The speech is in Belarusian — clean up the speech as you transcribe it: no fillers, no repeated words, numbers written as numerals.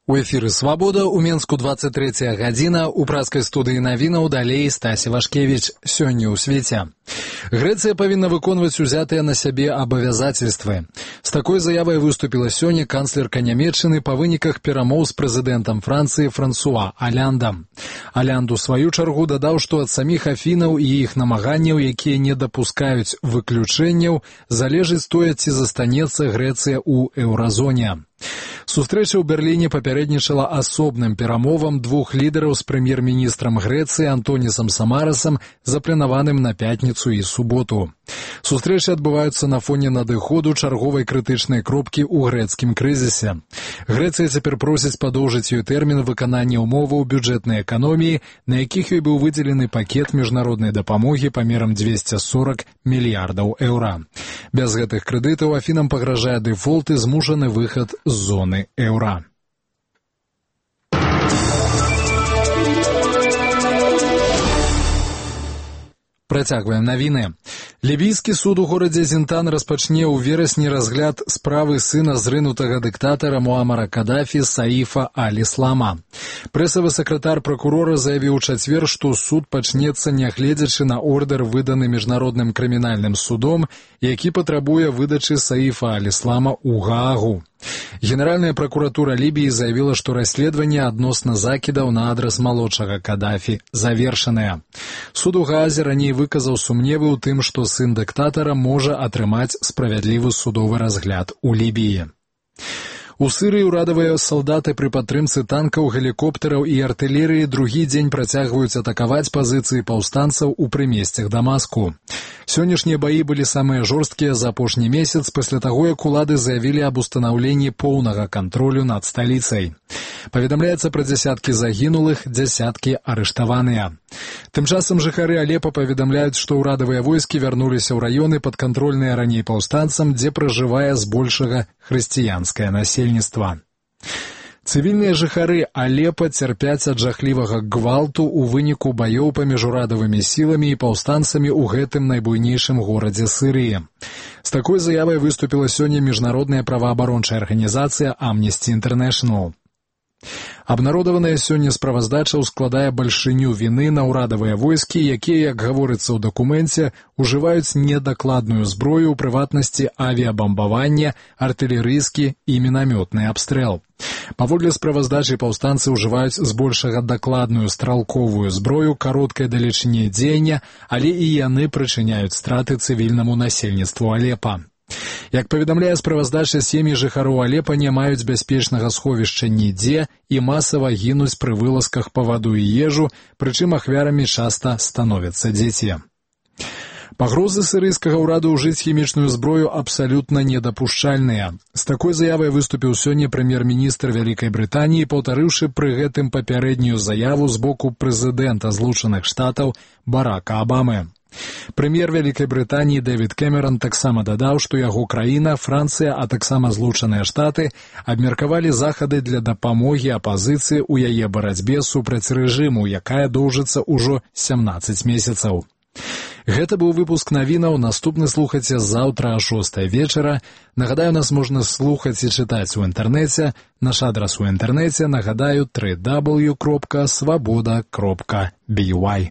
У эфіры «Свабода», у Менску 23 гадзіна, у праскай студыі навінаў далей Стасі Вашкевіч. Сёння ў свеце. Грэцыя павінна выконваць узятыя на сябе абавязательствы. З такой заявай выступіла сёння канцлерка Нямецчыны па выніках перамоў з прэзідэнтам Францыі Франсуа Аляндам. Алянд у сваю чаргу дадаў, што ад саміх Афінаў і іх намаганняў, якія не дапускаюць выключэнняў, залежыць тое, ці застанецца Грэцыя ў еўразоне. Сустрэча ў Берліне папярэднічала асобным перамовам двух лідараў з прэм'ер-міністрам Грэцыі Антонісам Самарасам, запланаваным на пятніцу і суботу. Сустрэчы адбываюцца на фоне надыходу чарговай крытычнай кропкі ў грэцкім крызісе. Грэцыя цяпер просіць падоўжыць ёй тэрмін выканання ўмоваў бюджэтнай эканоміі, на якіх ёй быў выдзелены пакет міжнароднай дапамогі памерам 240 мільярдаў еўра. Без гэтых крэдытаў Афінам пагражае дэфолт і змушаны выхад з зоны еўра. Працягваем навіны. Лібійскі суд у горадзе Зінтан распачне ў верасні разгляд справы сына зрынутага дыктатара Муамара Кадафі Саіфа Аль-Іслама. Прэсавы сакратар пракурора заявіў у чацвер, што суд пачнецца нягледзячы на ордэр, выданы міжнародным крымінальным судом, які патрабуе выдачы Саіфа Аль-Іслама ў Гаагу. Генеральная прокуратура Лібіі заявіла, што расследаванне адносна закідаў на адрас малодшага Кадафі завершанае. Суд у Гаазе раней выказаў сумневы ў тым, што сын дыктатара можа атрымаць справядлівы судовы разгляд у Лібіі. У Сырыі ўрадавыя салдаты пры падтрымцы танкаў, гелікоптэраў і артылерыі другі дзень працягваюць атакаваць пазіцыі паўстанцаў у прымесцях Дамаску. Сённяшнія баі былі самыя жорсткія за апошні месяц пасля таго, як улады заявілі аб устанаўленні поўнага кантролю над сталіцай. Паведамляецца пра дзясяткі загінулых, дзясяткі арыштаваныя. Тым часам жыхары Алепа паведамляюць, што ўрадавыя войскі вярнуліся ў раёны, падкантрольныя раней паўстанцам, дзе пражывае збольшага хрысціянскае насельніцтва. Цывільныя жыхары Алепа цярпяць ад жахлівага гвалту ў выніку баёў паміж урадавымі сіламі і паўстанцамі ў гэтым найбуйнейшым горадзе Сырыі. З такой заявай выступіла сёння міжнародная праваабарончая арганізацыя Amnesty International. Абнародаваная сёння справаздача ўскладае бальшыню віны на ўрадавыя войскі, якія, як гаворыцца ў дакуменце, ужываюць недакладную зброю, у прыватнасці авіябамбаванне, артылерыйскі і мінамётны абстрэл. Паводле справаздачы паўстанцы ўжываюць збольшага дакладную стралковую зброю кароткай далечыні дзеяння, але і яны прычыняюць страты цывільнаму насельніцтву Алепа. Як паведамляе справаздача, сем'і жыхароў Алепа не маюць бяспечнага сховішча нідзе і масава гінуць пры вылазках па ваду і ежу, прычым ахвярамі часта становяцца дзеці. Пагрозы сірыйскага ўраду ўжыць хімічную зброю абсалютна недапушчальныя. З такой заявай выступіў сёння прэм'ер-міністр Вялікай Брытаніі, паўтарыўшы пры гэтым папярэднюю заяву з боку прэзідэнта Злучаных Штатаў Барака Абамы. Прэм'ер Вялікай Брытаніі Дэвід Кэмеран таксама дадаў, што яго краіна, Францыя, а таксама Злучаныя Штаты абмеркавалі захады для дапамогі апазіцыі ў яе барацьбе супраць рэжыму, якая доўжыцца ўжо 17 месяцаў. Гэта быў выпуск навінаў, наступны слухайце заўтра о 6 вечара. Нагадаю, нас можна слухаць і чытаць у інтэрнэце. Наш адрас у інтэрнэце, нагадаю, www.swaboda.by.